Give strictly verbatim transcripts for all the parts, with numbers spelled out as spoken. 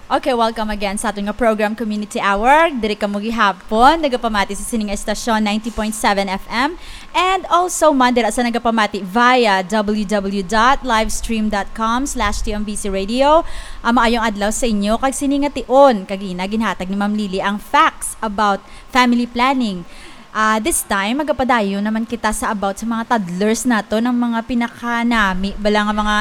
Okay, welcome again sa aton nga program, Community Hour. Diri kamo gihapon nagapamati sa sining estasyon, ninety point seven F M, and also man dira sa nagapamati via w w w dot livestream dot com slash t m b c radio. Ah, maayong adlaw sa inyo, kag sini nga tion kag ina ginhatag ni Ma'am Lily ang facts about family planning. Ah, this time, magapadayon naman kita sa about sa mga toddlers nato, ng mga pinakanami bala nga mga,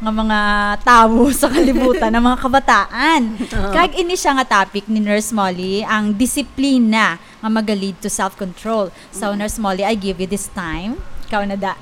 nga mga tawo sa kalibutan, ng mga kabataan. Oo. Kag ini siya nga topic ni Nurse Molly, ang disiplina nga maga-lead to self-control. So, Nurse Molly, I give you this time. Ikaw na da.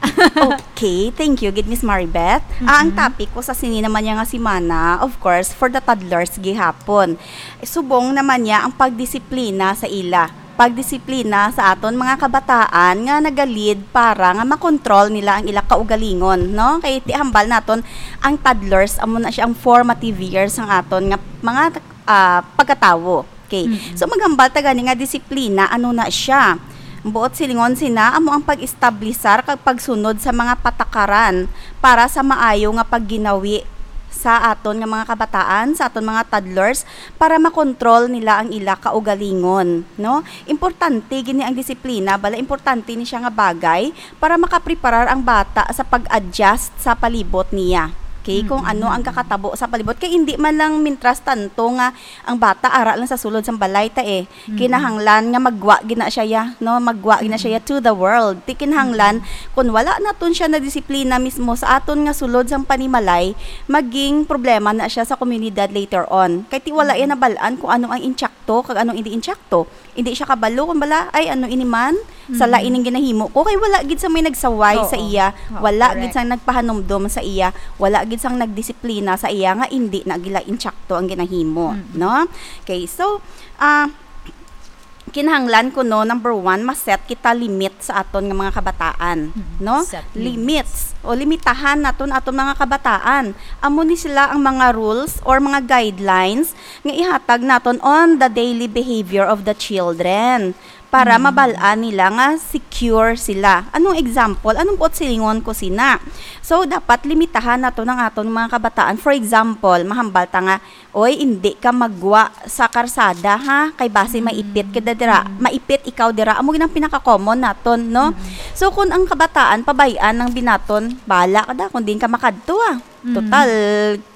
Okay, thank you gid, Miss Maribeth. Ah, ang Mm-mm. topic ko sa sini naman niya nga semana, of course, for the toddlers gihapon. Subong naman niya ang pagdisiplina sa ila. Pagdisiplina sa aton mga kabataan nga naga-lead para nga makontrol nila ang ila kaugalingon, no? Kay ti hambal naton, ang toddlers, amo na siya ang formative years sang aton nga mga, ah, pagkatawo. Okay. Mm-mm. So, maghambal ta gani nga disiplina, ano na siya? Ang buot silingon sina, amo ang pag-establisar kag pagsunod sa mga patakaran para sa maayo nga pagginawi sa aton nga mga kabataan, sa aton mga toddlers, para makontrol nila ang ila kaugalingon, no? Importante gini ang disiplina, bala, importante ni siya nga bagay para makapreparar ang bata sa pag-adjust sa palibot niya. Okay, kung Mm. ano ang kakatabo sa palibot. Kay hindi man lang mintras tanto nga ang bata ara lang sa sulod sang balay ta eh. Mm. Kinahanglan nga maggwa gina siya ya, no? Maggwa gina siya ya Mm. to the world. Ti kinahanglan, Mm. kung wala naton siya na disiplina mismo sa aton nga sulod sang panimalay, maging problema na siya sa komunidad later on. Kay ti wala Mm. iya nabal-an kung ano ang insakto kag ano hindi insakto. Hindi siya kabalo kung bala, "Ay, ano ini man? Sala Mm. ining ginahimo ko." Kay wala gid sa may nagsaway sa Oo. iya. Oo, Wala gid correct. sang nagpahanumdom sa iya. Wala gid sang nagdisiplina sa iya nga hindi na gila insakto ang ginahimo, Mm. no? Okay, so, ah, kinahanglan kuno, number one, ma-set kita limit sa aton nga mga kabataan, Mm. no? Set Limits. limits. O limitahan naton aton mga kabataan. Amo ni sila ang mga rules or mga guidelines nga ihatag naton on the daily behavior of the children para Mm. mabal-an nila nga secure sila. Anong example? Anong buot silingon ko sina? So, dapat limitahan naton ang aton mga kabataan. For example, mahambal ta nga, "Oy, indi ka maggwa sa karsada, ha? Kay basi Mm. maipit ka dira, Mm. maipit ikaw dira." Amo gid ang pinaka-common naton, no? Mm. So, kung ang kabataan, pabay-an ang binaton, "Bala ka da, kung diin ka makadto, ah. Mm. Total,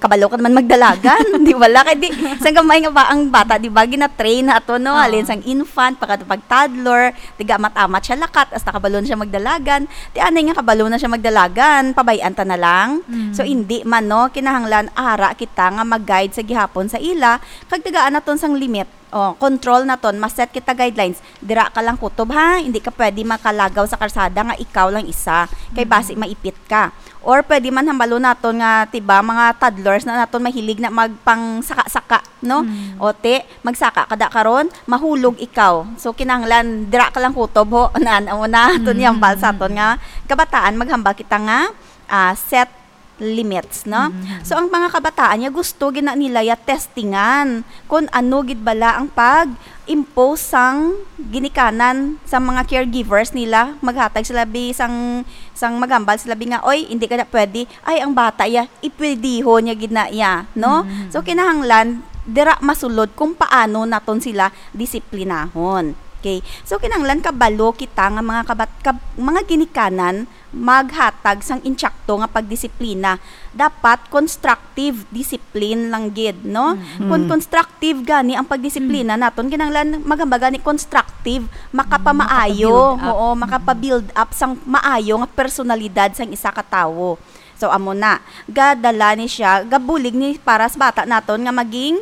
kabalo ka naman magdalagan." Di bala? Kay di, sang gamay nga ba, ang bata, di ba, gina-train na ato, no? Oo. Halin sang infant, pagka pag toddler, tiga amat-amat siya lakat, hasta kabalo na siya magdalagan. Ti anay nga kabalo na siya magdalagan, pabay-an ta na lang. Mm. So, hindi man, no? Kinahanglan ara kita nga mag-guide sa gihapon sa ila, kag tagaan naton sang limit. Oh, control naton, ma-set kita guidelines. Dira ka lang kutob, ha? Hindi ka pwede makalagaw sa karsada nga ikaw lang isa, kay Mm. basi maipit ka. Or pwede man hambalon naton nga, tiba, mga toddlers na naton mahilig na magpangsaka-saka, no? Mm. O, ti, magsaka ka da karon, mahulog ikaw. So, kinahanglan, dira ka lang kutob, ho. Naan, amo na, aton Mm. ihambal sa aton nga kabataan, maghambal kita nga, ah, set limits, no? Mm. So, ang mga kabataan niya, gusto gina nila ya testingan kung ano gid bala ang pag-impose sang ginikanan sa mga caregivers nila. Maghatag sila bi sang, sang maghambal sila bi nga, "Oy, hindi ka na pwede." Ay, ang bata ya, ipwediho niya gid na iya, no? Mm. So, kinahanglan, dira masulod kung paano naton sila disiplinahon. Okay. So, kinahanglan kabalo kita nga mga kabat-, kab-, mga ginikanan maghatag sang insakto nga pagdisiplina. Dapat constructive discipline lang gid, no? Mm. Kung Mm. constructive gani ang pagdisiplina Mm. naton, kinahanglan maghambal gani constructive, makapamaayo, Makapabuild up. oo, Mm. makapabuild up sang maayo nga personalidad sang isa ka tawo. So, amo na. Gadala ni siya, gabulig ni para sa bata naton nga maging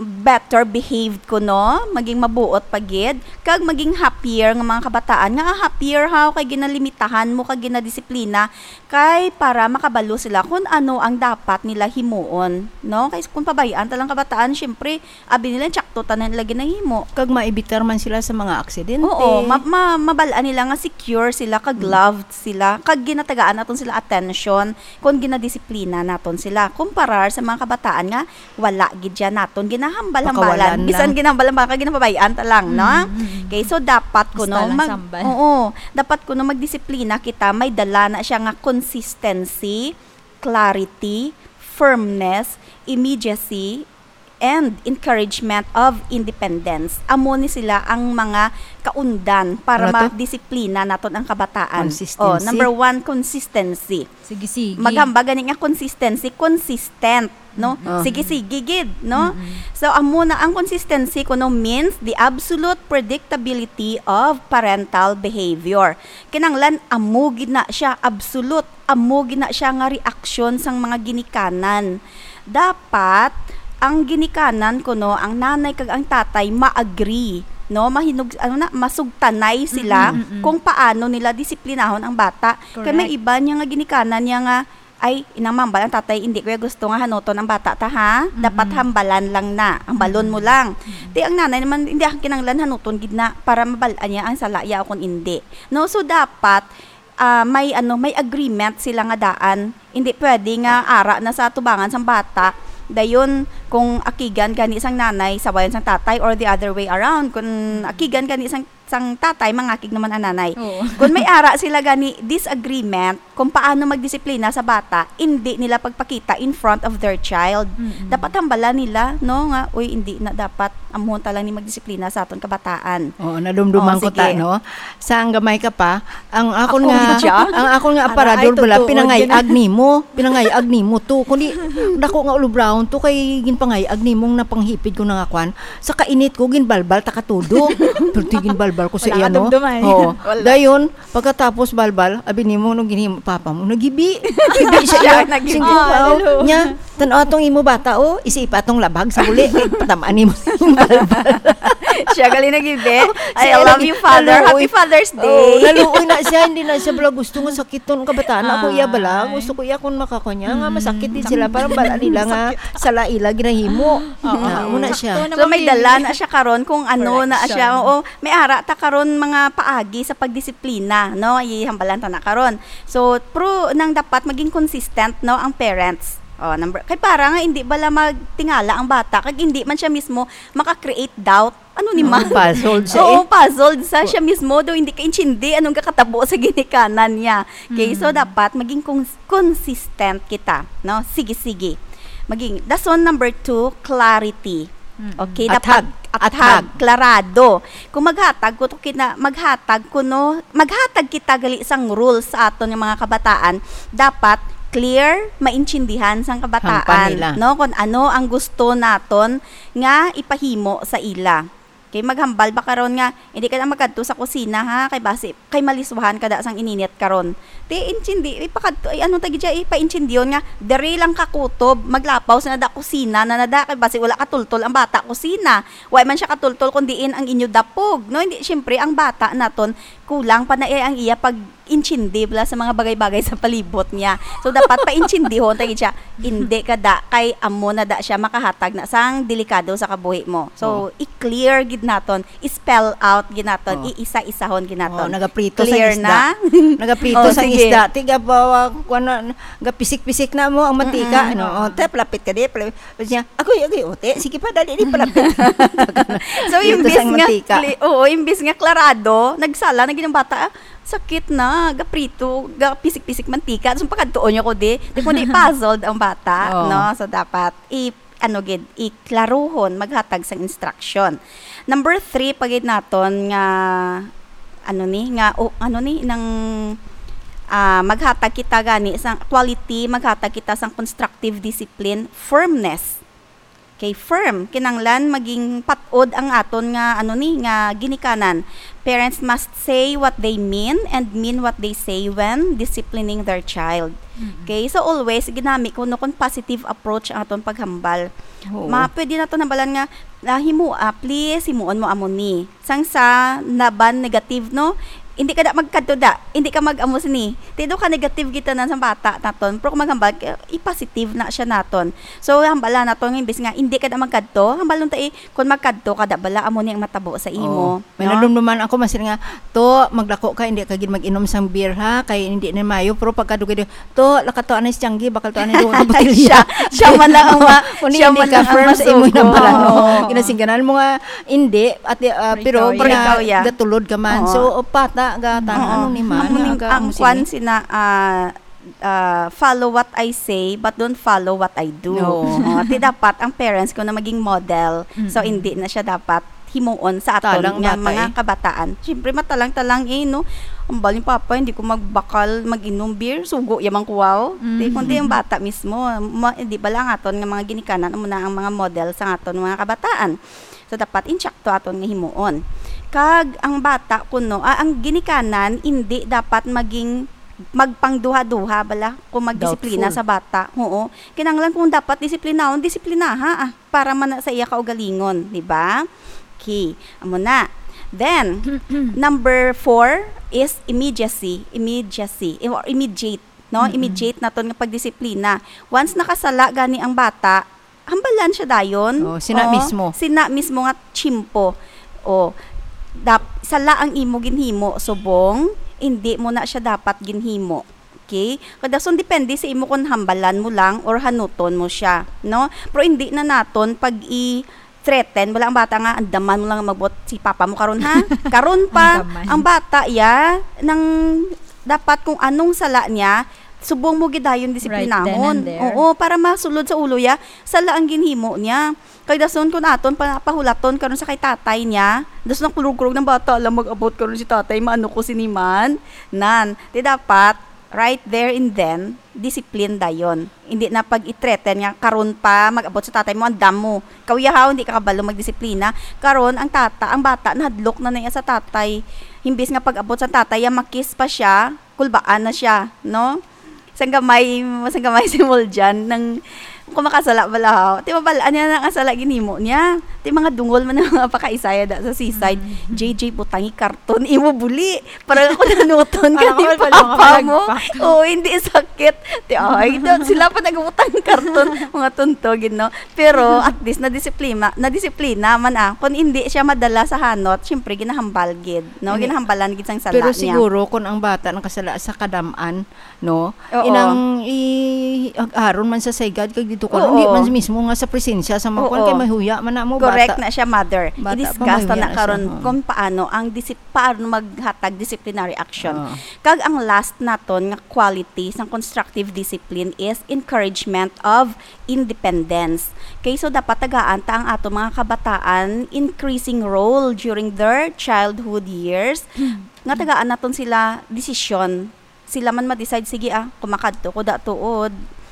better behaved kuno, maging mabuot pa gid, kag maging happier nga mga kabataan. Nga, ah, happier haw kay ginalimitahan mo kag ginadisiplina kay para makabalo sila kung ano ang dapat nila himuon, no? Kay kung pabay-an ta lang kabataan, syempre, abi nila, insakto tanan nila ginahimo. Kag maibitar man sila sa mga aksidente. Oo, ma-, ma-, mabal-an nila nga secure sila, kag Mm. loved sila, kag ginatagaan naton sila attention kung ginadisiplina naton sila. Kumparar sa mga kabataan nga wala gid siya naton ginahambal-hambalan. Pakawalan Bisan lang. ginahambal-hambalan, kag ginapabay-an ta lang, no? Mm, mm, mm. Okay, so dapat Basta kuno lang mag-, sambal. oo, dapat kuno magdisiplina kita, may dala na siya nga consistency, clarity, firmness, immediacy, and encouragement of independence. Amo ni sila ang mga kaundan para Ano to? madisiplina naton ang kabataan. Consistency. Oh, number one, consistency. Sige, sige. Maghambal gani nga consistency, consistent, no? Mm. Oh. Sige, sige gid, no? Mm-mm. So, amo na ang consistency kuno means the absolute predictability of parental behavior. Kinahanglan amo gid na siya, absolute, amo gid na siya nga reaksyon sang mga ginikanan. Dapat ang ginikanan kuno, ang nanay kag ang tatay ma-agree, no? Mahinug-, ano na, masugtanay sila Mm-mm, mm-mm. kung paano nila disiplinahon ang bata. Kay may Correct. iba niya nga ginikanan niya nga, "Ay, inang mambal ang tatay, hindi ko ya gusto nga hanuton ang bata ta, ha? Dapat Mm-mm. hambalan lang na, hambalan mo Mm-mm. lang." Mm-mm. Ti ang nanay naman, hindi, ang kinahanglan hanuton gid na para mabal-an niya ang sala ya o kung hindi. No, so dapat, ah, may, ano, may agreement sila nga daan. Hindi pwede nga ara na sa atubangan sang bata. Dayon, kung akigan gani sang nanay, sawayan sang tatay, or the other way around, kung akigan gani sang, sang tatay, mangakig naman ang nanay. Oo. Kung may ara sila gani disagreement kung paano magdisiplina sa bata, hindi nila pagpakita in front of their child. Mm-mm. Dapat hambalan nila, no, nga, "Uy, hindi na dapat, amuhon ta lang ni magdisiplina sa aton kabataan." Oo, nadumduman Oo, ko ta, sige. no? Sa ang gamay ka pa, ang akon Ako nga, gid siya? ang akon nga Ara, aparador ay, bala, totoo, pinangay-ag gina- nimo, pinangay-ag nimo to. Kundi, dako nga ulobrahon to, kay ginpangay-ag nimo nga napanghipid ko na nga kwan. Sa kainit ko, ginbalbal ta katudo. Pero di ginbalbal ko sa Wala iya, ka no? dumduman. Oo. Wala. Dayon, pagkatapos balbal, abi nimo, nung ginhimo, papa mo, nagibi. Nagibi siya. Siya, nagibi. Sige, Ah, wow. lalo. Nya, tan-aw atong imo bata, oh, isipa atong labag sa uli. Kay patamaan nimo yung balbal. Siya gali nagibi. Oh, I siya love lagi, you, Father. naluoy. Happy Father's Oh, Day. naluoy na siya, hindi na siya bala gusto nga sakiton ang kabataan. Ako iya bala, Ay. gusto ko iya kung makakuha niya, nga Mm. masakit din sila. Parang bala nila nga Sakit. sala ila ginahimo. Oo. Na, muna siya. Sakto So, naman may din. dala na siya karon kung ano na siya. Correction. Oo, may ara ta karon mga paagi sa pagdisiplina, no? Ihambalan ta na karon. So, pro nang dapat maging consistent, no, ang parents. Oh, number, kay para nga hindi bala magtingala ang bata, kag hindi man siya mismo maka-create doubt. Ano ni Oo, man? puzzled siya Oo, eh. puzzled sa siya mismo, daw hindi kaintindi anong kakatabo sa ginikanan niya. Okay, so Mm. dapat maging cons-, consistent kita, no? Sige, sige. Maging, dason number two, clarity. Mm. Okay, Athag. dapat athag, Athag. klarado. Kung maghatag ko to kina-, maghatag ko, no, maghatag kita gali sang rules sa aton nga mga kabataan, dapat clear, maintindihan sang kabataan, Hangpan nila. no, kung ano ang gusto naton nga ipahimo sa ila. Kay maghambal ba karon nga, "Hindi ka na magkadto sa kusina, ha? Kay basi, kay maliswahan ka da sang ininit karon." Ti, intindi, ipakadto, ay, ano tagi dya, ipaintindihon nga, "Diri lang ka kutob, maglapaw sa nada kusina, na nada, kay basi wala katultol ang bata kusina. Wa man siya katultol kung diin ang inyo dapog," no? Hindi, siyempre, ang bata naton, kulang pa na, eh, ang iya pag-intindi bala sa mga bagay-bagay sa palibot niya. So, dapat paintindihon tagi siya, "Hindi ka da, kay amo na da siya makahatag na sang delikado sa kabuhi mo." So, Oo. i-clear gid naton, i-spell out gid naton, Oo. i-isa-isahon gid naton. Oo, nagaprito sa Clear isda. na? Nagaprito Oh, sa sige. isda. Tiga ba, wa-, kuwan na, gapisik-pisik na mo ang mantika, Mm-mm. ano? Oo. Oh, te, palapit ka di, palapit. Tapos niya, "Agoy, agoy, ote. Sige pa, dali, di palapit." So, Dito imbis sang nga mantika. cli-, oo, imbis nga klarado, nagsala na gid ang bata, "Ah, sakit na, gaprito, gapisik-pisik mantika." So, pakadtuon niyo ko di. Di ko di puzzled ang bata, Oo. no? So, dapat i-, ano gid, iklaruhon, maghatag sang instruction. Number three, pa gid naton nga, ano ni, nga, o, ano ni, nang, ah, maghatag kita gani sang quality, maghatag kita sang constructive discipline, firmness. Okay, firm. Kinanglan maging patod ang aton nga, ano ni, nga ginikanan. Parents must say what they mean and mean what they say when disciplining their child. Mm. Okay, so always, ginami ko, no, kung positive approach ang aton paghambal. Oo. Ma-, pwede naton hambalan nga, "Ah, himo, ah, please, himuon mo amo ni." Sang sa naban negative, no? Hindi ka da magkadto da. Hindi ka mag-amo sini. Ti daw ka negative kita na sa bata naton. Pero kung maghambal, eh, i-positive na siya naton. So, hambala naton nga imbis nga, "Hindi ka da magkadto." Hambalon ta, eh, "Kung magkadto ka da bala, amo ni ang matabo sa imo." Oo. May No? nadumduman ako, masin nga, "To, maglako ka, hindi ka gid mag-inom sang beer, ha? Kay hindi ni mayo." Pero pagkadugay, "To, lakato anay si Tianggi, bakal to anay duha ka botelya." Siya, siya man lang ang ma-, Kung siya hindi man ka lang ang firm sa imo masuko. Nambalan, no? Oo. Ginasingganan mo nga, hindi, at, ah, Pero pero ikaw, gina-, ikaw, yeah. gatulod ka man. Oo. So, o, pata, gatan, Oo. ano ni man, Amo ning, aga, ang amo kwan sini. sina, ah, ah, "Follow what I say, but don't follow what I do." Oo. Oh, ti dapat ang parents ko na maging model. So, Mm-mm. hindi na siya dapat himuon sa aton Talang nga bata mga eh. kabataan. Siyempre, matalang-talang eh, no? Ang baling papa, hindi ko magbakal mag-inom beer, sugo yamang kuwaw. Ti, Mm. kundi ang bata mismo, ma-, di ba lang aton nga mga ginikanan, amo na ang mga model sa aton mga kabataan. So, dapat insakto aton nga himuon. Kag ang bata kuno, ah, ang ginikanan, hindi dapat maging magpangduha-duha bala kung magdisiplina Doubtful. sa bata. Oo. Kinahanglan kung dapat disiplinahon, disiplinaha, ah, para man na sa iya kaugalingon, di ba? Okay, amo na. Then, number four is immediacy, immediacy, or immediate, no? Mm-mm. Immediate naton nga pagdisiplina. Once nakasala gani ang bata, hambalan siya dayon. Oh, sina Oo, mismo. sina mismo nga tiyempo. Oh, dap-, sala ang imo ginhimo, subong, hindi mo na siya dapat ginhimo. Okay? Kadason depende sa imo kung hambalan mo lang or hanuton mo siya, no? Pero hindi na naton pag i-threaten, wala ang bata nga, "Andaman mo lang mabot si papa mo karon, ha? Karon pa." Andaman. Ang bata, ya, nang dapat kung anong sala niya, subong mo gidayon Right then disiplinahon. and there. Oo, para masulod sa ulo ya, sala ang ginhimo niya. Kay dason kun aton pa, pahulaton karon sa kay tatay niya, dason ang kulog-kulog ng bata, "Alam, mag-abot karon si tatay, maano ko sini man?" Nan, ti dapat, right there and then, discipline dayon. Hindi na pag-i-threaten nga, "Karon pa, mag-abot sa tatay mo, andam mo." Kauyahaw, hindi ka kabalo magdisiplina. Karon, ang tata, ang bata, nahadlok na na iya sa tatay. Himbis nga pag-abot sa tatay, ya makis pa siya, kulbaan na siya, no? Sang gamay, sang gamay si Muljan, nang, kung makasala bala, ha? Ti, mabalaan niya na ang sala ginimo niya. Ti, mga dungol man ang mga pakaisaya da sa seaside. Mm. "J J, butangi karton, imo buli. Para ako nanuton ka Para ni ako pala papa mo." makalagpak. Oo, hindi sakit. Ti, ay, do, sila pa nagutang karton, mga tuntog, no? Pero at least nadisiplina, nadisiplina man, ah. Kung hindi siya madala sa hanot, syempre ginahambal gid, no? Ini-, Ginahambalan gid sang sala pero niya. Siguro kung ang bata nakasala sa kadam-an, no? Oo. Inang i-, ag-aron man sa saygad kag dito ka, Oo. hindi man mismo nga sa presensya sa mga kuwan, Oo. kay mahuya man na mo, Correct bata. na siya, mother. Bata pa, I-discuss ta mahuya na na siya, karon oo. kung paano ang disip-, paano maghatag disciplinary action. Oo. Kag ang last naton nga quality sang constructive discipline is encouragement of independence. Okay, so dapat tagaan ta ang ato mga kabataan increasing role during their childhood years. Hmm. Nga tagaan naton sila desisyon. Sila man ma-decide, "Sige, ah, kung makadto ko da tuod,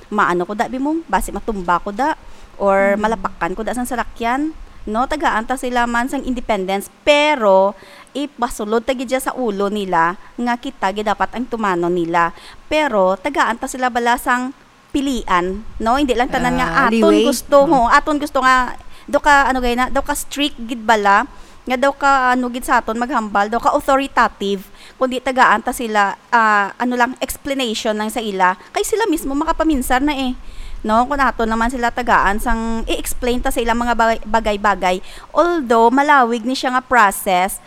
maano ko da, bimong, basi matumba ko da, or Hmm. malapakan ko da sang salakyan." No, tagaan ta sila man sang independence, pero ipasulod ta gid siya sa ulo nila nga kita gid dapat ang tumanon nila. Pero tagaan ta sila bala sang pilian, no? Hindi lang tanan nga Ah, aton leeway. gusto, Mm. ho, aton gusto nga daw ka, ano gay na, daw ka strict gid bala, nga daw ka, ano gid sa aton maghambal, daw ka authoritative, kundi tagaan ta sila, ah, ano lang, explanation lang sa ila. Kay sila mismo makapaminsar na eh. No? Kung aton naman sila tagaan sang i-explain ta sa ilang mga bagay-, bagay-bagay. Although malawig ni siya nga process,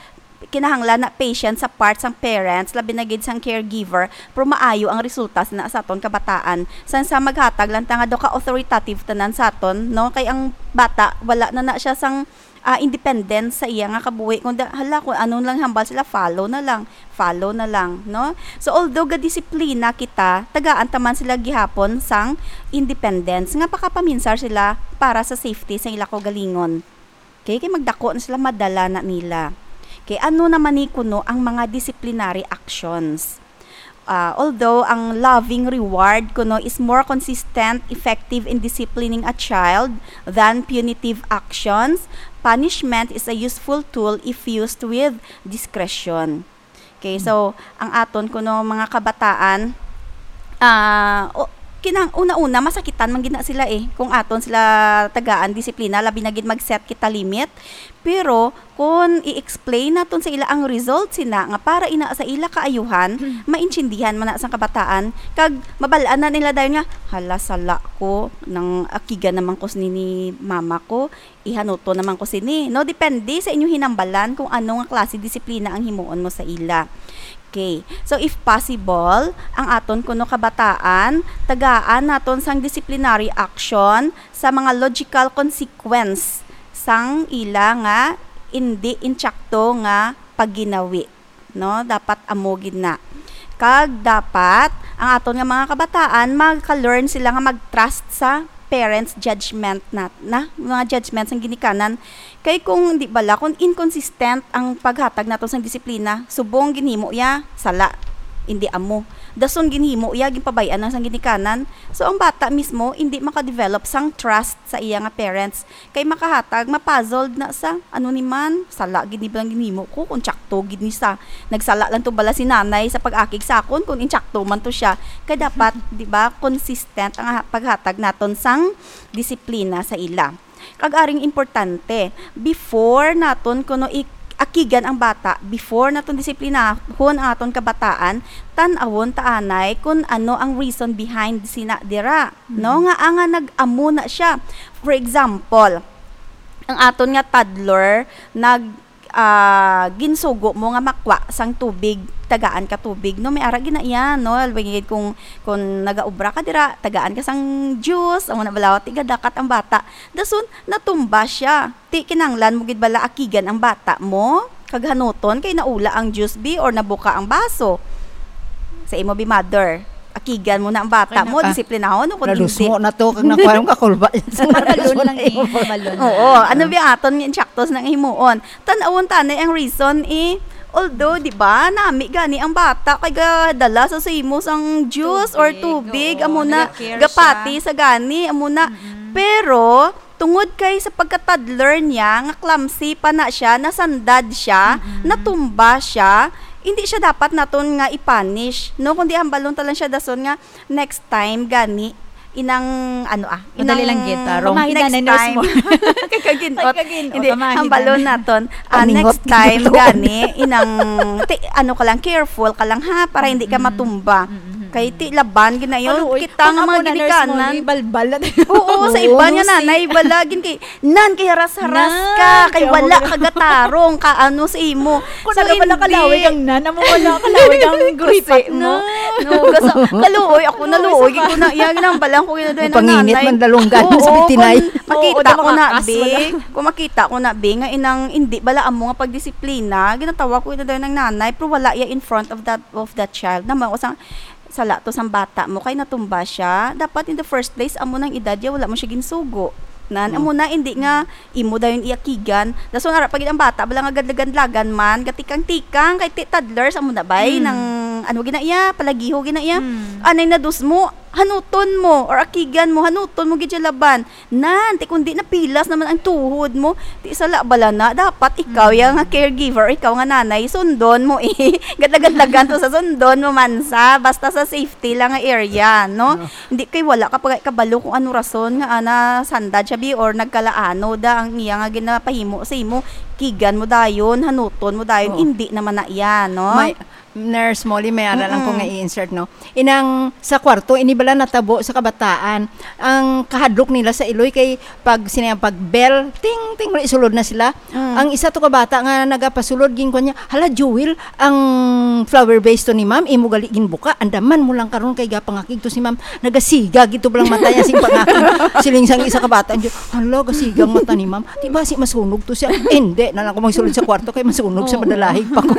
kinahanglan na patient sa part sang parents, labi na gid sang caregiver, pero maayo ang resulta sa, sa aton kabataan. Sang sa maghatag lang ta nga daw ka authoritative tanan sa aton, no? Kay ang bata, wala na na siya sang, ah, independence sa iya nga kabuhi. Kung da-, hala, kung anong lang hambal sila, follow na lang, follow na lang, no? So, although gadisiplina kita, tagaan ta man sila gihapon sang independence, nga pakapaminsar sila para sa safety sa ila kaugalingon. Okay, kay magdako na sila, madala na nila. Okay, ano naman ni kuno ang mga disciplinary actions? Ah, although ang loving reward kuno is more consistent, effective in disciplining a child than punitive actions, punishment is a useful tool if used with discretion. Okay, so, ang aton kuno mga kabataan, ah, o, kinang-, una-una, masakitan man gid na sila eh, kung aton sila tagaan disiplina, labi na gid mag-set kita limit. Pero, kung i-explain naton sa ila ang result sina nga para ina sa ila kaayuhan, maintindihan man na sang kabataan, kag mabal-an na nila dayon nga, "Hala, sala ko, nang akigan naman ko sini ni mama ko." Ihanuto naman ko sini, no? Depende sa inyo hinambalan kung ano nga klase disiplina ang himuon mo sa ila. Okay. So, if possible, ang aton kuno kabataan, tagaan naton sang disciplinary action sa mga logical consequence sang ila nga indi insakto nga pagginawi. No? Dapat amo gid na. Kag dapat ang aton nga mga kabataan, maka-learn sila nga mag-trust sa parents' judgment na, na, mga judgment sang ginikanan. Kay kung, di bala, kung inconsistent ang paghatag nato sang disiplina, subong ginhimo iya, sala, hindi amo. Dason ginhimo iya, ginpabay-an lang sang ginikanan. So, ang bata mismo, hindi maka-develop sang trust sa iya nga parents. Kay makahatag, ma-puzzled na sa, "Ano ni man? Sala gid ni bala ang ginhimo ko, kung tsakto gid ni sa, nagsala lang to bala si nanay sa pag-akig sa akon, kung intsakto man to siya." Kay dapat, di ba, consistent ang ha-, paghatag naton sang disiplina sa ila. Kag aring importante, before naton kuno i-, akigan ang bata, before naton disiplinahon ang aton kabataan, tan-awon ta anay kung ano ang reason behind sina dira, no? Mm. Nga, ah, nga nag-amo na siya. For example, ang aton nga toddler nag, ah, ginsugo mo nga makwa sang tubig, tagaan ka tubig, no? May ara gina iya, no? Albay gid kung, kung nagaobra ka dira, tagaan ka sang juice, amo na bala, ti gadakat ang bata. Dason, natumba siya. Ti kinahanglan mo gid bala akigan ang bata mo? Kag hanuton kay naula ang juice, bi, or nabuka ang baso. Sa imo, bi, mother, akigan mo na ang bata Kay mo, naka-, disiplinahon, no, kung hindi. Nadusmo na to, kag nakuha yung kakulba. Balon lang eh, balon Oo, lang. Ano bi aton nga instructors nang himuon? Tan-awon tanay ang reason eh. Although, di ba, nami gani ang bata kay gadala sa simo sang juice or Tubig, tubig, oo, amo na, nag-care gapati siya. Sa gani, amo na. Mm-mm. Pero, tungod kay sa pagka-toddler niya, nga clumsy pa na siya, nasandad siya, Mm-mm. natumba siya, hindi siya dapat naton nga i-punish, no? Kundi hambalon ta lang siya dason nga, next time, gani, inang, ano, ah, Madali inang lang gid, tarong. Pamahinan next na, nurse time. mo. Kay kaginot. Kay kaginot, Hindi, pamahinan. Hambalon naton. Ah, Paningot next time, gid to. Gani, inang, ti-, ano ka lang, careful ka lang, ha, para hindi ka Mm-mm. matumba. Mm-mm. Kay ti laban gid na yun. Kaluoy. Kita Kung nga ako mga na, nurse mo, ginikanan. Di balbal na tayo. Oo, sa Oo, iba no, nga si nanay, bala, gin kay, "Nan, kay haras-haras Nan, ka, kay kay wala ako ka gatarong, ka ano sa imo." Kung So, wala, wala hindi. Kalawig ang nan, amo wala kalawig ang Kasi, guripat mo. No? No, kasi, kaluoy, ako Kaluoy naluoy, sa gid ko na, yan, ginambalan ko, gid na Pangingit nanay. Man dalunggan Oo, sa bitinay. Kung makita Oo, ko na, daw makakas, be, wala. Kung makita ko na, be, nga inang, hindi bala amo nga pagdisiplina, ginatawa ko, gid na daw ng nanay, pero wala iya in front of that, of that child. Naman ko sa, sala to sang bata mo kay natumba siya. Dapat in the first place, amo nang edad ya, wala mo siya ginsugo. Nan, Mm. amo na, hindi nga imo dayon iakigan. Dason ara pa gid ang bata, bala nga gadlagan-dlagan man, gatikang-tikang, kay ti-, toddlers, amo na bay, Mm. nang, ano gina iya, palagiho gina iya. Mm. Anay na dos mo, hanuton mo, or akigan mo, hanuton mo gid siya laban. Nan, ti kundi napilas naman ang tuhod mo. Ti sala bala na. Dapat ikaw Mm. yang caregiver, ikaw nga nanay, sundon mo eh. Gadlagan-lagan to sa sundon mo man sa. Basta sa safety lang nga area, no? No. Hindi kay wala ka pa kabalo kung ano rason nga ana sandad siya, bi, or nagkalaano da ang iya nga ginapahimo sa imo. Kigan mo dayon, hanuton mo dayon, Oo. Hindi naman na iya, no? May, Nurse Molly, may ara lang ko Mm-mm. nga i-insert, no? Inang sa kwarto, ini bala natabo sa kabataan. Ang kahadlok nila sa iloy kay pag sinayang pag bell, ting, ting, wala, isulod na sila. Mm. Ang isa to ka bata nga nagapasulod, ginkuan niya, "Hala, Jewel, ang flower vase to ni ma'am, imo gali ginbuka. Andaman mo lang karon kay gapangakig to si ma'am. Nagasiga gid to balang mata niya sing pangakig." Siling sang isa ka bata, "Hala, gasiga ang mata ni ma'am. Di ba si masunog to siya?" Hindi na lang ko magsulod sa kwarto kay masunog sa Oo. Madalahig pa ko.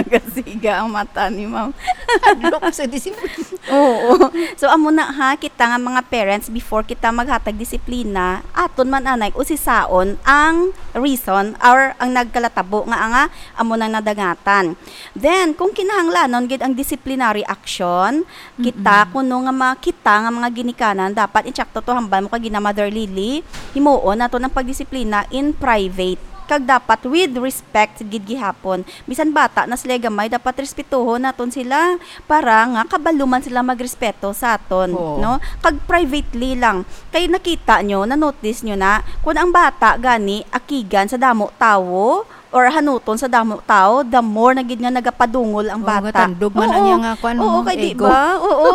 Gasiga ang mata ni ma'am. Hadlok sa disiplina. Oo. So, amo na ha, kita nga mga parents, before kita maghatag disiplina, aton man anay usisaon ang reason or ang nagkalatabo nga, nga amo nang nadangatan. Then, kung kinahanglanon gid ang disciplinary action, kita Mm-mm. kuno nga ma-, kita nga mga ginikanan, dapat i-check to, to hambal mo kay gina Mother Lily, himuon naton ang pagdisiplina in private. Kag dapat with respect gid gihapon. Bisan bata na sila gamay, dapat respetuhon naton sila para nga kabalo man sila magrespeto sa aton, Oo. no? Kag privately lang. Kay nakita nyo, na-notice nyo na, kung ang bata gani akigan sa damo tawo, or hanuton sa damo tawo, the more na gid nga nagapadungol ang Oo, bata. Gatandog man ang Oo. Iya nga kwan, Oo, no? Kay di Ego. Ba? Oo.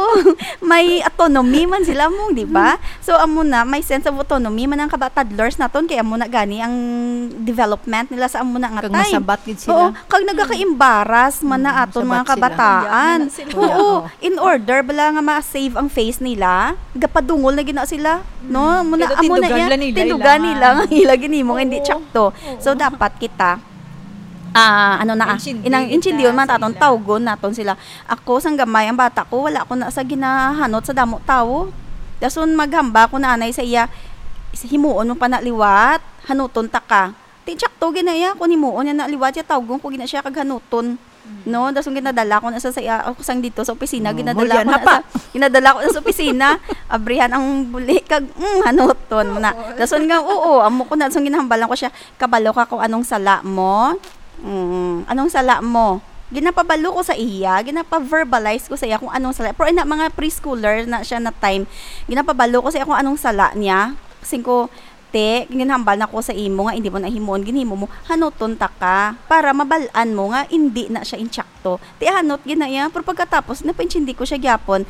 May autonomy man sila mo, di ba? Mm. So, amo na, may sense of autonomy man ang kaba-, toddlers naton, kay amo na gani ang development nila sa amo na nga Kag time. Masabat gid sila. Oo, kag nagakaembaras man na Mm, aton mga sabat sila. Kabataan. Iya man na sila. Oo, Oo. In order bala nga ma-save ang face nila, gapadungol na gina sila, no? Mm. Amo na, Kaya amo na tindugan iya, lang nila, tindugan ila nila nga nga. Ila ginimo nga hindi Oo. Tsakto. Oo. So, dapat kita Ah, ano na, ah, inang intindiyon man taton, tawgon naton sila. Ako, sang gamay ang bata ko, wala ko na sa ginahanot sa damo tawo. Dason maghamba ko na anay sa iya, "Himuon mo pa na liwat, hanuton ta ka." Ti, tsakto gina iya, kung himuon niya na liwat, ya tawgon ko gina siya kag hanuton. No, dason ginadala ko na sa, sa iya, ako sang dito sa opisina, ginadala ko na sa, ginadala ko na sa opisina, abrihan ang buli, kag, mm, hanuton mo na. Dason nga, oo, amo ko na, dason ginahambalan ko siya, "Kabalo ka kung anong sala mo?" Mm, "Anong sala mo?" Ginapabalo ko sa iya, ginapa-verbalize ko sa iya kung anong sala. Pero ina, mga preschooler na siya na time, ginapabalo ko sa iya kung anong sala niya. Sing ko, "Te, ginhambal na ko sa imo nga hindi mo na himuon, ginhimo mo, hanuton ta ka para mabal-an mo nga hindi na siya intsakto." Ti hanot gina iya, pero pagkatapos, napaintindi ko siya gyapon,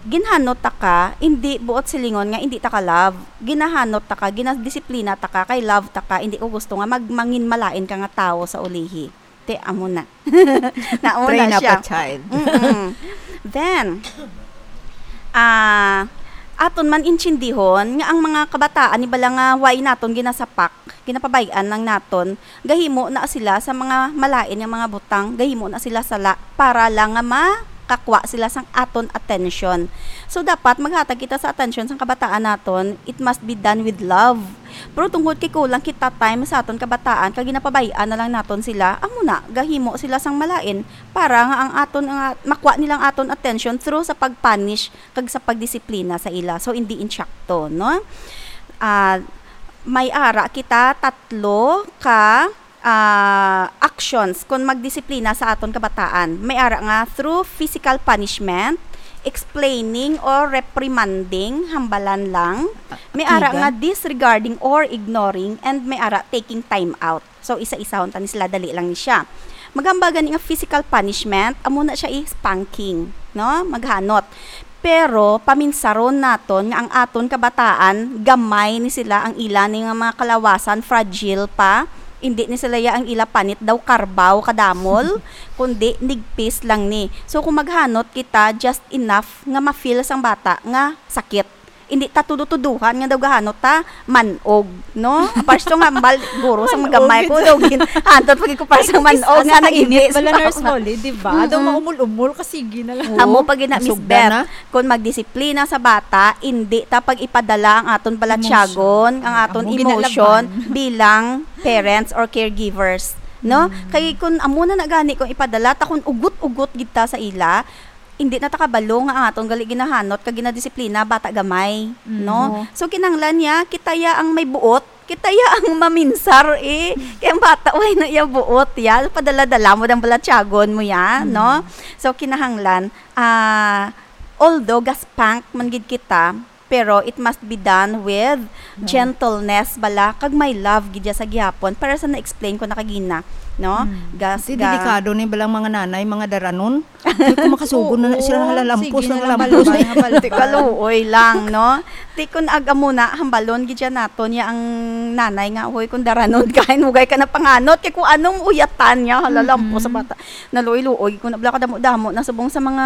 ginhanot ta ka, hindi buot silingon nga hindi ta ka love. Ginahanot ta ka, ginadisiplina ta ka, kay love ta ka, hindi ko gusto nga magmangin malain ka nga tawo sa ulihi. Ti, amo na. Nauna siya. Train up a child. Mm-mm. Then, ah, aton man intindihon nga ang mga kabataan, ni bala nga way naton ginasapak, ginapabay-an lang naton, gahimo na sila sa mga malain nga mga butang, gahimo na sila sala para lang nga makakwa sila sang aton attention. So, dapat maghatag kita sa attention sang kabataan naton, it must be done with love. Pero tungod kay kulang kita time sa aton kabataan, kag ginapabay-an na lang naton sila, amo na, gahimo sila sang malain para nga ang aton, nga makwa nila ang aton attention through sa pag-punish kag sa pagdisiplina sa ila. So, hindi intsakto, no? Ah, may ara kita tatlo ka, ah, actions kon magdisiplina sa aton kabataan. May ara nga through physical punishment, explaining or reprimanding, hambalan lang. May ara nga disregarding or ignoring, and may ara taking time out. So, isa-isahon ta ni sila, dali lang ni siya. Maghambal gani nga physical punishment, amo na siya i-spanking, no? Maghanot. Pero paminsaron naton nga ang aton kabataan, gamay ni sila, ang ila ni nga mga kalawasan, fragile pa. Hindi ni sila ya ang ila panit daw karbaw kadamol, kundi nigpis lang ni. So, kung maghanot kita, just enough nga ma-feel sang bata nga sakit. Hindi ta tudo-tuduhan nga daw gahanot ta man-og, no? Pasto nga hambal, guro, sang magamay ko, daw gin-, hantot pag ko pa sang man-og nga nag-init bala, Nurse Molly, di ba? Daw maumol-umol, kasigi na lang. Amo pa gina, Miss Beth, kung magdisiplina sa bata, hindi ta pag ipadala ang aton balatyagon, ang aton emotion bilang parents or caregivers, no? Kay kung amo na na gani kung ipadala ta, kung ugot-ugot gid ta sa ila, hindi na ta kabalo nga ang aton gali ginahanot kag ginadisiplina bata gamay, no? So, kinahanglan niya kita ya ang may buot, kita ya ang maminsar, eh. Kay ang bata, way na iya buot ya, padala-dala mo ang balatyagon mo ya, no? So, kinahanglan, ah, although ga-spank man gid kita, pero it must be done with gentleness bala, kag may love gid ya sa gihapon, para sa na-explain ko na kagina, no? Gas, ga- delikado ni balang mga nanay, mga daranon. Di ko makasugon na na sila, halalampos na lang, lampos. Ti kaluoy lang, no? Ti kun aga mo na, hambalon gid siya naton ya ang nanay nga, "Hoy, kung daranon ka, hinugay ka na panganot, kay kung anong uyatan niya, halalampos sa bata." Naluoy-luoy ko na bala kadamo-damo na subong sa mga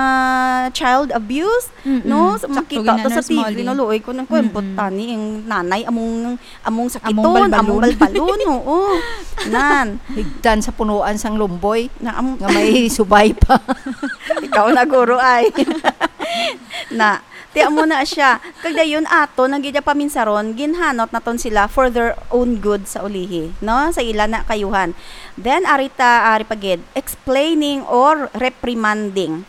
child abuse, no? Sa makita ta sa T V, naluoy ko nang kwembot tani ang nanay, among among sakiton, among balbalon, oo. Nan. Higtan sa punuan sang lumboy nga may subay pa. Ikaw na, guro, ay. Na, ti amo na siya. Kag dayon aton, ang gid paminsaron, ginhanot naton sila for their own good sa ulihi, no? Sa ila na kayuhan. Then, ari ta, ari pa gid, explaining or reprimanding.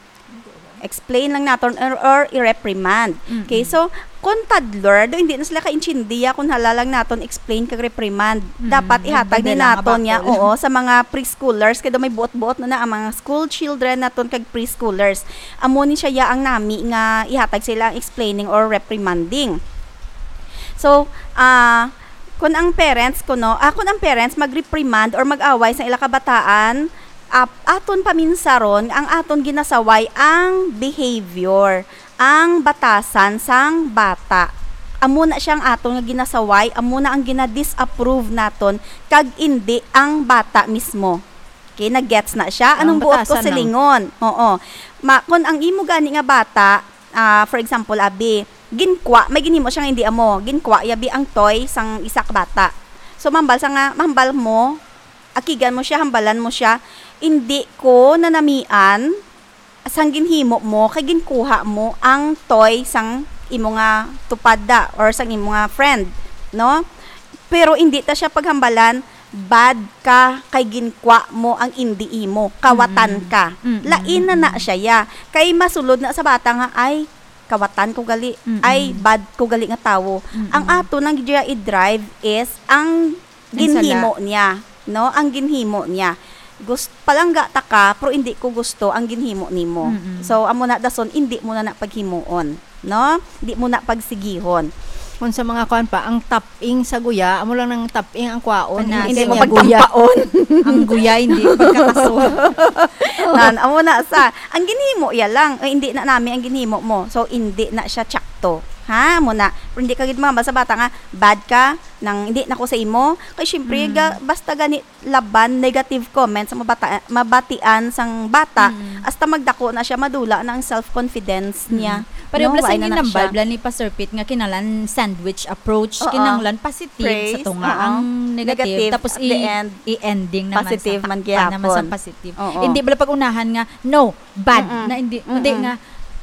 Explain lang naton or, or i-reprimand. Okay, so, kung toddler, do hindi na sila kaintindiya kung hala lang naton explain kag reprimand. Dapat ihatag ni naton niya, oo, sa mga preschoolers, kay do may buot-buot na na ang mga school children naton kag preschoolers. Amo ni siya ya ang nami nga ihatag sila ang explaining or reprimanding. So, ah, kung ang parents kuno, ah, kung ang parents mag-reprimand or mag-away sa ila kabataan, ap-, aton paminsaron, ang aton ginasaway ang behavior, ang batasan sang bata. Amo na siya ang aton nga ginasaway, amo na ang gina-disapprove naton, kag indi ang bata mismo. Okay, nag-gets na siya. Anong buot ko silingon? Oo. Ma-, kung ang imo gani nga bata, ah, for example, abi, ginkwa, may ginhimo siya nga hindi amo, ginkwa ya bi ang toy sang isa ka bata. So, mambal sa nga, mambal mo, Akigan mo siya, hambalan mo siya, "Indi ko nanamian sang ginhimo mo kay ginkuha mo ang toy sang imo nga tupada or sang imo nga friend," no? Pero indi ta siya paghambalan, "Bad ka kay ginkwa mo ang indi imo, kawatan Mm-mm. ka." Mm-mm. Lain na na Mm-mm. siya, ya. Kay masulod na sa bata nga, "Ay, kawatan ko gali. Mm-mm. Ay, bad ko gali nga tawo." Mm-mm. Ang ato nang giya i-drive is ang Ang sala. ginhimo niya, no? Ang ginhimo niya. Gus-, palangga ta ka, pero hindi ko gusto ang ginhimo nimo. Mm-mm. So, amo na dason, hindi mo na na paghimuon, no? Hindi mo na pagsigihon. Kung sa mga kuan pa, ang taping sa guya, amo lang nang taping ang kwaon, Kana, hindi Hindi mo sige. Guya. pagtampaon. Ang guya, hindi pagkataso. Nan, amo na sa, ang ginhimo iya lang, eh, hindi na nami ang ginhimo mo. So, hindi na siya tsakto. Ha? Amo na. Pero hindi ka gid mahambal sa bata nga, "Bad ka, nang hindi na ko sa imo." Kay syempre, Mm. ga-, basta gani laban, negative comments ang mabata-, mabatian sang bata, Mm. hasta magdako na siya, madula na ang self-confidence Mm. niya. Pareho No, bala wala sing na na ginambal siya. bala ni Pastor Pete nga kinahanglan sandwich approach, Oo. kinahanglan positive sa Praise, tunga oo. ang negative, Negative tapos at the i-, end, i-ending naman positive sa man pa-, gihapon. naman sa positive. Oo. Hindi bala pag-unahan nga, "No, bad," Mm-mm. na hindi, hindi Mm-mm. nga,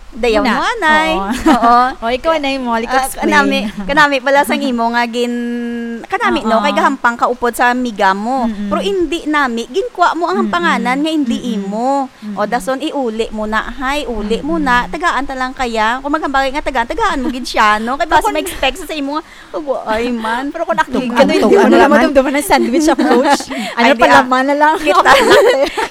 Dayaw Una. mo, anay. Oo. Oo. O, ikaw, anay, mo, like, Ah, explain. kanami, kanami pala sang imo nga gin-, kanami, no, Oo. kay gahampang ka upod sa amiga mo. Mm-mm. Pero hindi nami, ginkwa mo ang Mm-mm. hampanganan nga hindi Mm-mm. imo. O, Mm-mm. dason, iuli mo na, hay, uli mo na, Mm-mm. tagaan ta lang kaya. Kung maghambal nga tagaan, tagaan mo gid siya, no? Kay basi Kung ma-expect sa, sa imo nga, "Ago, ay man." Pero kung nakita Tug-, ka, tug-, hindi mo ano na naman naman? dumduman ang sandwich approach. Ano Ay, di, pala ah. man na lang? Kita,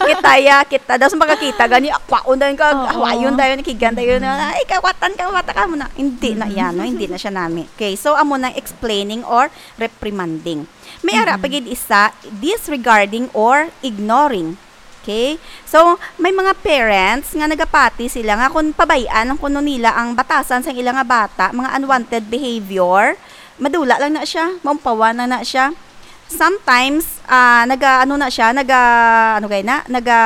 kita, ya, kita. Dason makakita, gani, akwaon na ka, Oo. hawayon tayo, nakigan tayo na, Mm-mm. "Ay, kawatan, kawatan ka mo na." Hindi na Mm-mm. yan, no? Hindi na siya nami. Okay, so, amo na explaining or reprimanding. May ara pa Mm-mm. gid isa, disregarding or ignoring. Okay? So, may mga parents nga nagapati sila nga kung pabay-an ang kuno nila ang batasan sang ila nga bata, mga unwanted behavior, madula lang na siya, maumpawan lang na siya. Sometimes, ah, naga, ano na siya, naga, ano gay na, naga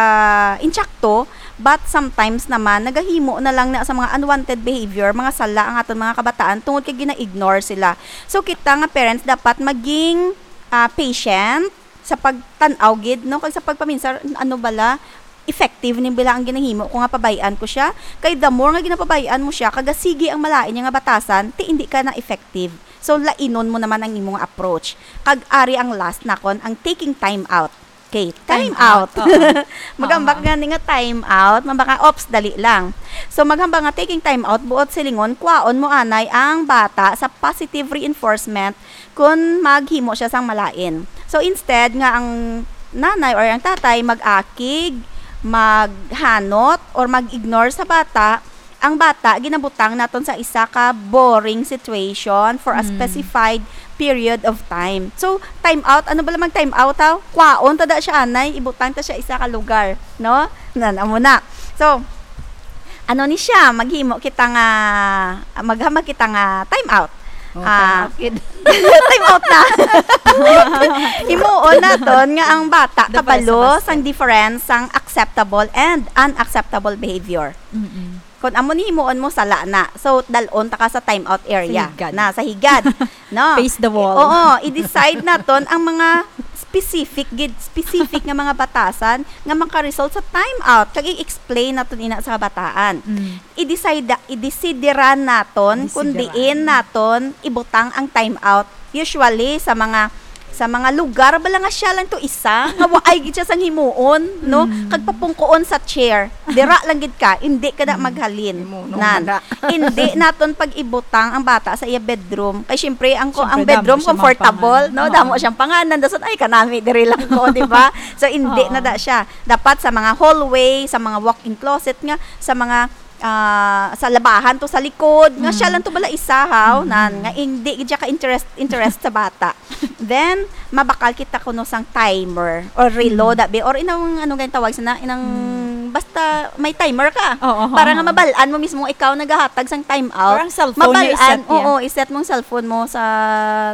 intsakto, but sometimes naman, nagahimo na lang na sa mga unwanted behavior, mga sala ang aton mga kabataan tungod kay gina-ignore sila. So, kita nga parents dapat maging, ah, patient, sa pagtan-aw gid, no, kag sa pagpaminsar, ano bala, effective ni bala ang ginahimo ko nga pabay-an ko siya? Kay the more nga ginapabay-an mo siya, kag sige ang malain niya nga batasan, ti hindi ka na effective. So, lainon mo naman ang imong approach. Kag ari ang last nakon, ang taking time out. Okay, time Time out. out, oo. Magambak Oo. gani nga time out, mambaka, "Ops, dali lang." So, maghambal nga taking time out, buot silingon, kwaon mo anay ang bata sa positive reinforcement kun maghimo siya sang malain. So, instead nga ang nanay or ang tatay mag-akig, maghanot, or mag-ignore sa bata, ang bata ginabutang naton sa isa ka boring situation for a Mm. specified period of time. So, time out, ano bala mag time out, ha? Kwaon ta da siya, anay, ibutang ta siya isa ka lugar, no? Nan, amo na. So, ano ni siya, maghimo kita nga, maghambal kita nga time out. Oh, Ah, time out, kid. Time out na. Himuon naton nga ang bata Dapat kabalo sa basta. sang difference sang acceptable and unacceptable behavior. Mm-mm. Kung amo ni himuon mo, sala na. So, dalon ta ka sa time out area. Sa higad. Na, sa higad. No? Face the wall. Oo, i-decide naton ang mga specific gid, specific nga mga batasan nga makaresult sa time out. Kag i-explain naton ina sa kabataan. Mm. I-decide, i-decideran naton kung Decideran. diin naton ibutang ang time out. Usually, sa mga, sa mga lugar, bala nga siya lang to isa, nga waay gid siya sang himuon, no? Mm. Kag papungkoon sa chair. Dira lang gid ka, hindi ka na Mm. maghalin. Himuon Nan. na. Hindi naton pag-ibutang ang bata sa iya bedroom. Kay syempre, ang ko-, ang Syempre, bedroom damo siya comfortable, mapangana. no? Oo. Damo siyang panganan. Dason, "Ay, kanami, diri lang ko," di ba? So, hindi Oo. na da siya. Dapat sa mga hallway, sa mga walk-in closet nga, sa mga, ah, sa labahan to, sa likod, nga siya Mm. lang to bala isa, haw, Mm. nan, nga hindi gid siya ka-interest, interest sa bata. Then, mabakal kita kuno sang timer or relo, Mm. dabi, or inang, ano gani tawag sa na, inang, Mm. basta may timer ka. Oo, oo, Para nga oo. mabal-an mo mismo ikaw nagahatag sang time out. Parang cellphone niya, Mabal-an, i-set niya. oo, i-set mong cellphone mo sa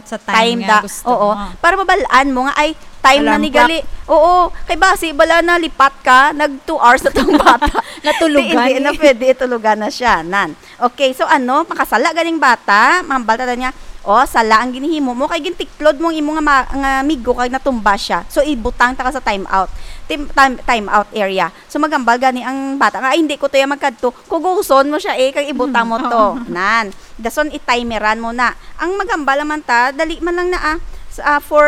Sa time time nga da. gusto Oo. mo. Para mabal-an mo nga, ay, time na Alarm ni clock. gali. Oo, kay basi, bala na lipat ka, nag two hours na tong bata. Natulugan Di, hindi na eh. pwede, itulugan na siya. Nan. Okay, so ano, makasala ganing bata, mambal ta niya, O, sala ang ginhimo mo, kay gintiklod mo ang imo nga ma-, nga amigo kag natumba siya. So, ibutang ta ka sa time out. Tim-, time, time out area. So, maghambal gani ang bata nga, "Ay, hindi ko to ya magkadto." Kuguson mo siya, eh, kag ibutang mo to. Oo. Nan. Dason, i-timeran mo na. Ang maghambal naman ta, dali man lang na, ah. S-, ah, for,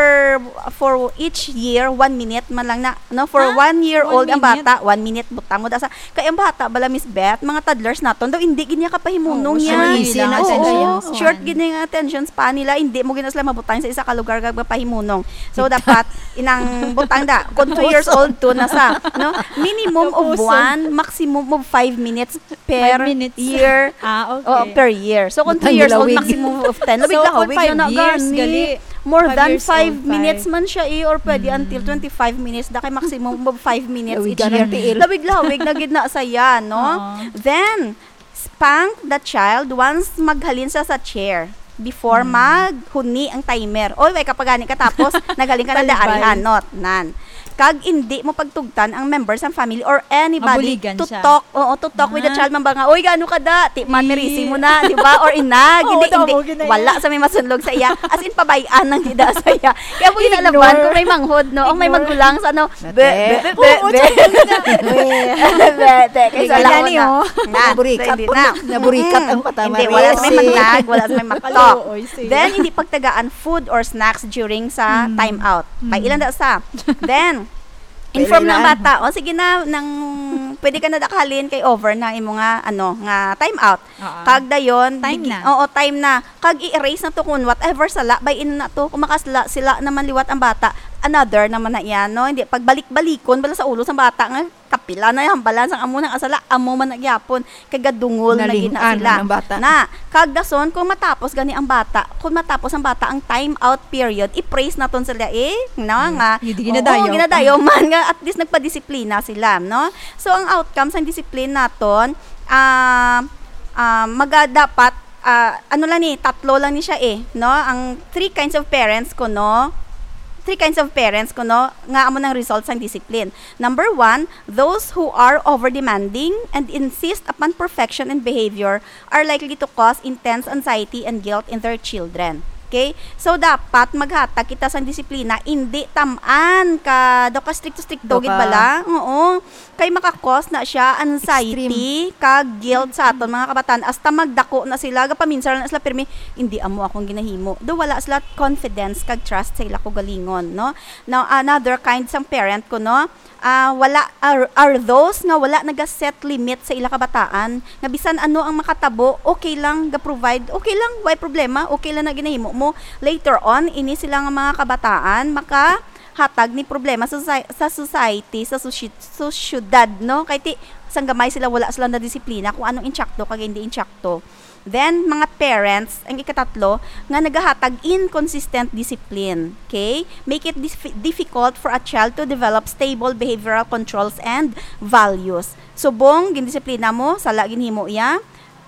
for each year, one minute man lang na. No, for Ah, one year one old ang minute? bata, one minute, butang mo da sa, kay ang bata bala, Miss Beth, mga toddlers naton daw, hindi gid niya kapahimunong Oo, yan. Easy na Oo, attention span. Short gid niya yung attention span nila, hindi mo gid na sila mabutang sa isa ka lugar kag mapahimunong. So, dapat inang butang da, kung two years old to na sa, no? Minimum of Kapuson. one, maximum of five minutes per Five minutes. year. Ah, okay. Oo, per year. So, kung Butang two years old, lawig. maximum of ten. So, Lawig, kung lawig five na na years, gani. gali. More Five than years five old, minutes five. man siya, eh, or pwede Mm. until twenty-five minutes, da kay maximum of five minutes Lawig each ka ng year. tiil. Lawig-lawig na gid na sa yan, no? Oo. Then, spank the child once maghalin siya sa chair before Mm. maghuni ang timer. Oy, way ka pa gani katapos, naghalin ka na Balbal. daari hanot, nan. Kag indi mo pagtugtan ang members sang family or anybody Mabuligan to siya. talk, oo, to talk with the Ah. child, man ba nga, "Uy, gaano ka da? Ti man, Di. merisi mo na," di ba? Or inag, Oo, hindi, daw hindi. mo gid na Wala yan. sa may masunlog sa iya. As in, pabay-an ang gida sa iya. Kaya mo ginalaban Ignore. kung may manghod, no? Ang may Ignore. magulang sa, ano, Mate. be, be, be, Oo, be. tsaka yun na. Be, be, kay Hindi sa ka laon gani, na. oh. Na, Naburikat hindi po. na. Naburikat Mm. ang mata, Hindi, wala sa may Maricel. magnag, wala sa may maktok. Kaloy, sige. Then, hindi pagtagaan food or snacks during sa Mm. time out. Kay Mm. ilan da sa. Then, Pwede inform ng na. bata. O, sige na, nang, pwede ka na dakalin kay over na imo nga, ano, nga time out. Oo. Kag dayon, Time digi-, na. oo, time na. Kag i-erase na to kung whatever sala, bay-in na to. Kung makasala, sila naman liwat ang bata. Another naman na yan, no? Hindi, pagbalik-balikon, bala sa ulo sa bata nga, kapila na yung hambalan sang amo nang asala, amo man na gyapon. Kay gadungol na gid na Naling-an sila. ang bata. Na, kag dason, kung matapos gani ang bata, kung matapos ang bata ang time out period, i-praise naton sila, eh, no, Mm. nga, Hindi oo, ginadayaw. ginadayaw man nga, at least nagpadisiplina sila, no? So, ang outcome sang discipline naton, ah, ah, maga-, dapat, ah, ano lang ni, tatlo lang ni siya, eh, no? Ang three kinds of parents kuno, three kinds of parents kuno, nga amo nang result sang discipline. Number one, those who are over-demanding and insist upon perfection in behavior are likely to cause intense anxiety and guilt in their children. Okay? So, dapat maghatag kita sang disiplina, indi tam-an ka, daw ka stricto-stricto Daw gid ka bala. Oo. Kay maka-cause na siya anxiety Extreme. kag guilt sa aton mga kabataan. Hasta magdako na sila, gapaminsan na sila pirmi, "Indi amo akong ginahimo." Do wala sila confidence kag trust sa ila kaugalingon, no? Now, another kind sang parent kuno, ah, wala, are, are those nga wala naga-set limit sa ila kabataan, nga bisan ano ang makatabo, okay lang, ga-provide, okay lang, way problema, okay lang na ginahimo mo. Later on, ini sila nga mga kabataan, makahatag ni problema sa soci-, sa society, sa soci-, sosyedad, no? Kay ti, sang gamay sila, wala sila na disiplina kung anong insakto kag hindi insakto. Then, mga parents, ang ikatatlo, nga nagahatag inconsistent discipline. Okay? Make it dif-, difficult for a child to develop stable behavioral controls and values. Subong, gindisiplina mo, sala ginhimo iya,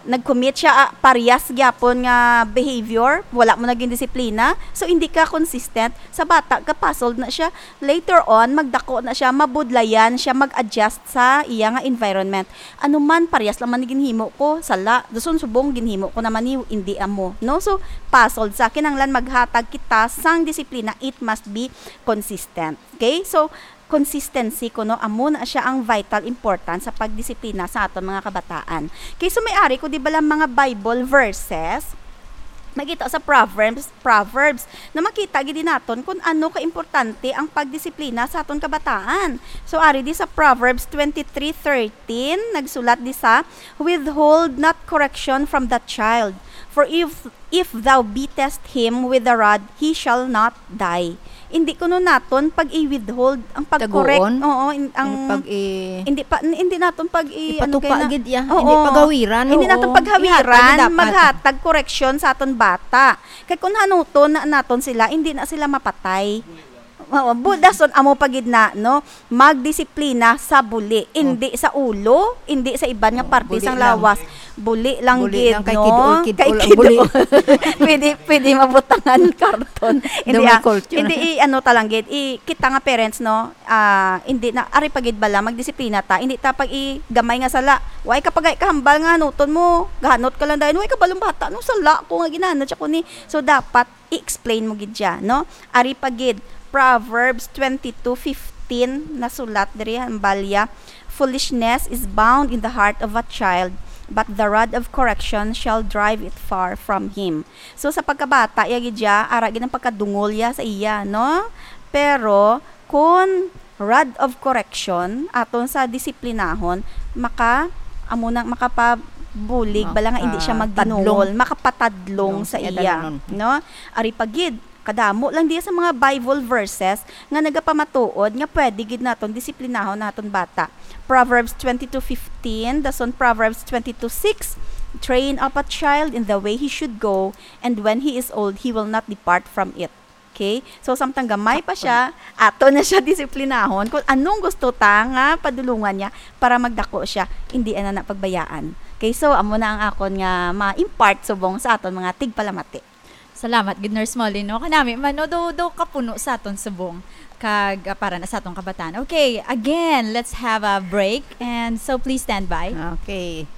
nag-commit siya, ah, parehas gyapon nga behavior, wala mo na gindisiplina, so hindi ka consistent. Sa bata, ga-puzzled na siya. Later on, magdako na siya, mabudlayan siya, mag-adjust sa iya nga environment. Ano man, parehas lang man ni ginhimo ko, sala. Dason subong, ginhimo ko naman ni, hindi amo, no? So, puzzled sa kinahanglan maghatag kita sang disiplina, it must be consistent. Okay? So, consistency kuno, amo na siya ang vital importance sa pagdisiplina sa aton mga kabataan. Kay so may ari ko, di ba lang mga Bible verses, makita sa Proverbs, Proverbs, na makita gid naton kung ano ka importante ang pagdisiplina sa aton kabataan. So, ari di sa Proverbs twenty-three thirteen, nagsulat di sa, "Withhold not correction from the child, for if, if thou beatest him with the rod, he shall not die." Hindi kuno naton pag-i-withhold ang pag-correct. Taguon? Oo, in-, ang Yung pag-i- hindi pa, n-, hindi naton pag-i-, ano Ipatupa kaya na? gid iya. Oo. Hindi paghawiran, Hindi oo. naton paghawiran, Ihatag dapat. maghatag koreksyon sa aton bata. Kay kung hanuton na naton sila, hindi na sila mapatay. Oo, bu-, dason amo pa gid na, no? Magdisiplina sa buli, hindi sa ulo, hindi sa iban nga Oh, parte buli sang lang. lawas. Buli lang Buli gid, lang kay no? kid-ol, kid-ol Kay ang kid-ol. buli. Pwede, pwede mabutangan karton. Hindi, Daw may ah, culture. Hindi, i-, ano ta lang gid, i-, kita nga parents, no? Ah, hindi na, ari pa gid bala, magdisiplina ta. Hindi ta pag-igamay nga sala. Way ka pagay kahambal nga hanuton mo. Gahanot ka lang dayon. Way ka balong bata, no? Sala ko nga ginahanot siya ko ni. So, dapat i-explain mo gid siya, no? Ari pa gid, Proverbs twenty-two fifteen, nasulat diri, hambal ya, "Foolishness is bound in the heart of a child, but the rod of correction shall drive it far from him." So, sa pagkabata, iya gid siya, ara gid ang pagkadungol ya sa iya, no? Pero, kun rod of correction, aton sa disiplinahon, maka, amo nang makapabulig, Maka-, bala nga hindi siya magdinungol, tadlong. makapatadlong No, sa iya iya, tadlong. no? Ari pa gid, kadamo lang diya sa mga Bible verses nga nagapamatuod nga pwede gid naton disiplinahon naton bata. Proverbs twenty-two fifteen, dason Proverbs twenty-two six, "Train up a child in the way he should go, and when he is old, he will not depart from it." Okay? So, samtang gamay pa siya, ato na siya disiplinahon kung anong gusto ta nga padulungan niya para magdako siya. Hindi ana na pagbayaan. Okay? So, amo na ang akon nga ma-impart subong sa aton mga tigpalamati. Salamat gid, Nurse Molly, no? Kanami man, no? Do, do kapuno sa aton subong kag, ah, para na sa atong kabataan. Okay, again, let's have a break. And so, please stand by. Okay.